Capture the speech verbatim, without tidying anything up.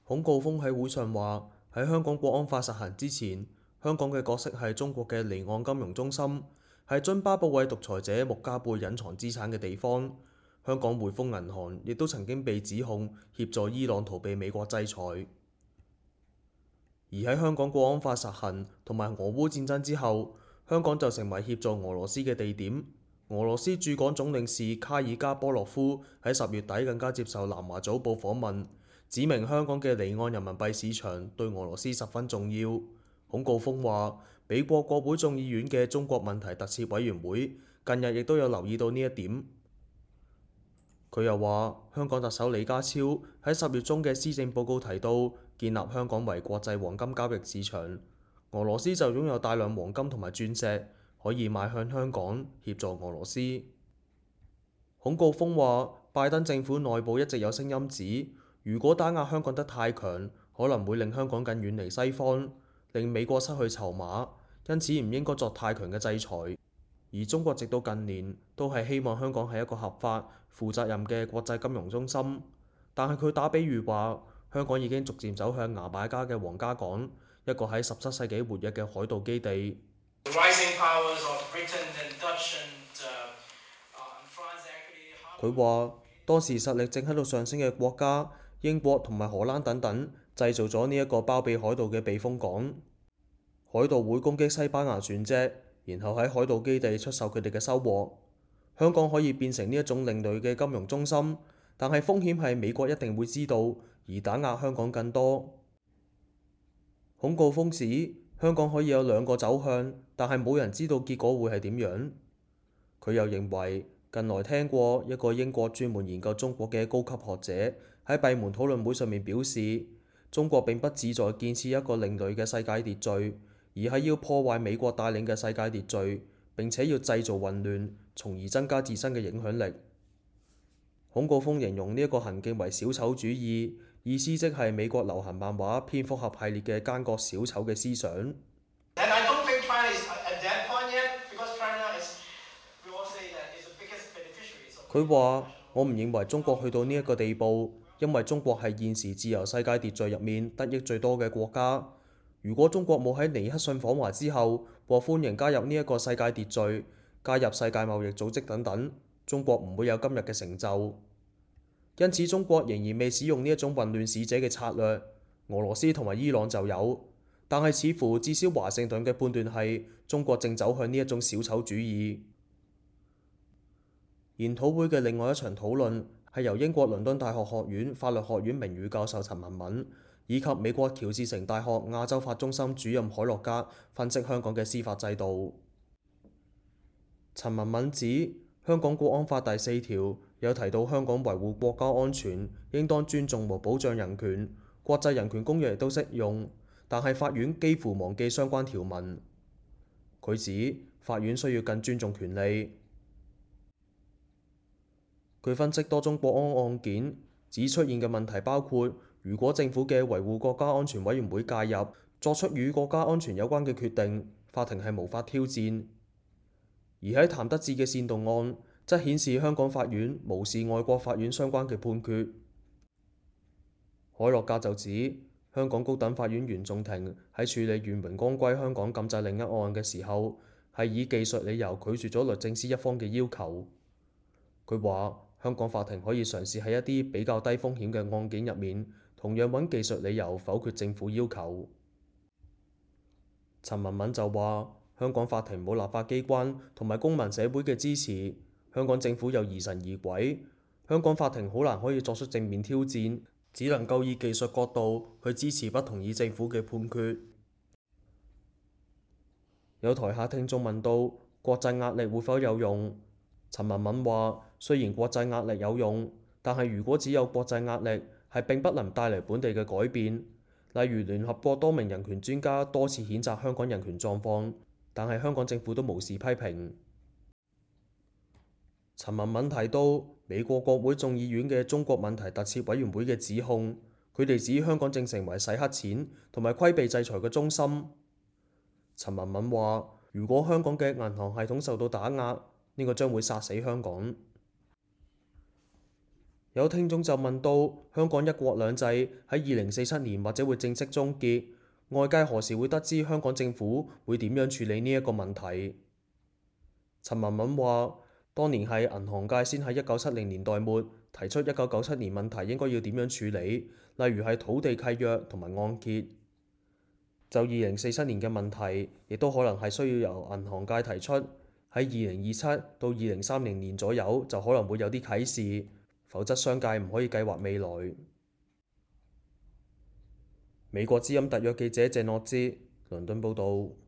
孔誥烽喺會上話：喺香港國安法實行之前，香港嘅角色係中國嘅離岸金融中心，係津巴布韋獨裁者穆加貝隱藏資產嘅地方。香港匯豐銀行亦都曾經被指控協助伊朗逃避美國制裁。而喺香港國安法實行同埋俄烏戰爭之後，香港就成為協助俄羅斯嘅地點。俄羅斯駐港總領事卡爾加波洛夫喺十月底更加接受南華早報訪問，指明香港嘅離岸人民幣市場對俄羅斯十分重要。孔誥烽話：美國國會眾議院嘅中國問題特設委員會近日亦都有留意到呢一點。佢又話：香港特首李家超喺十月中嘅施政報告提到，建立香港為國際黃金交易市場。俄羅斯就擁有大量黃金同埋鑽石，可以賣向香港協助俄羅斯。孔誥烽話：拜登政府內部一直有聲音指，如果打壓香港得太強，可能會令香港更遠離西方，令美國失去籌碼，因此唔應該作太強嘅制裁。而中國直到近年都係希望香港係一個合法、負責任嘅國際金融中心，但係佢打比喻話，香港已經逐漸走向牙買加嘅皇家港，一個喺十七世紀活躍嘅海盜基地。佢話當時實力正喺度上升嘅國家，英國同埋荷蘭等等，製造咗呢一個包庇海盜嘅避風港。海盜會攻擊西班牙船隻，然後喺海盜基地出售佢哋嘅收穫。香港可以變成呢一種另類嘅金融中心，但係風險係美國一定會知道，而打壓香港更多。孔誥烽指香港可以有兩個走向，但係冇人知道結果會係點樣。佢又認為近來聽過一個英國專門研究中國嘅高級學者喺閉門討論會上面表示，中國並不旨在建設一個另類嘅世界秩序，而係要破壞美國帶領嘅世界秩序，並且要製造混亂，從而增加自身嘅影響力。孔誥烽形容呢一個行徑為小丑主義，意思即係美國流行漫畫蝙蝠俠系列嘅奸角小丑嘅思想。佢話：我唔認為中國去到呢一個地步，因為中國係現時自由世界秩序入面得益最多嘅國家。如果中國冇喺尼克遜訪華之後獲歡迎加入呢一個世界秩序，加入世界貿易組織等等，中國唔會有今日嘅成就。因此中國仍然未使用呢一種混亂使者嘅策略，俄羅斯同埋伊朗就有，但係似乎至少華盛頓嘅判斷係中國正走向呢一種小丑主義。研討會嘅另外一場討論係由英國倫敦大學學院法律學院名譽教授陳文敏以及美國喬治城大學亞洲法中心主任海洛格分析香港嘅司法制度。陳文敏指香港國安法第四條有提到香港維護國家安全，應當尊重和保障人權，國際人權公約亦都適用，但係法院幾乎忘記相關條文。佢指法院需要更尊重權利。佢分析多宗國安案件，指出現嘅問題包括，如果政府嘅維護國家安全委員會介入，作出與國家安全有關嘅決定，法庭係無法挑戰。而喺譚得志嘅煽動案，則顯示香港法院無視外國法院相關嘅判決。海洛格就指，香港高等法院原訟庭喺處理願榮光歸香港禁制令一案嘅時候，係以技術理由拒絕咗律政司一方嘅要求。佢話：香港法庭可以嘗試喺一啲比較低風險嘅案件入面，同樣揾技術理由否決政府要求。陳文敏就話：香港法庭冇立法機關同埋公民社會嘅支持，香港政府又疑神疑鬼，香港法庭好難可以作出正面挑戰，只能夠以技術角度去支持不同意政府嘅判決。有台下聽眾問到國際壓力會否有用？陳文敏話：雖然國際壓力有用，但係如果只有國際壓力，係並不能帶嚟本地嘅改變。例如聯合國多名人權專家多次譴責香港人權狀況，但係香港政府都無視批評。陳文敏提到美國國會眾議院嘅中國問題特設委員會嘅指控，佢哋指香港正成為洗黑錢同埋規避制裁嘅中心。陳文敏話：如果香港嘅銀行系統受到打壓，呢個將會殺死香港。有聽眾就問到，香港一國兩制喺二零四七年或者會正式終結，外界何時會得知香港政府會點樣處理呢一個問題？陳文敏話：當年係銀行界先喺一九七零年代末提出一九九七年問題應該要點樣處理，例如係土地契約同埋按揭。就二零四七年嘅問題，亦都可能係需要由銀行界提出，喺二零二七到二零三零年左右就可能會有啲啟示，否則商界唔可以計劃未來。美國之音特約記者謝諾茲，倫敦報導。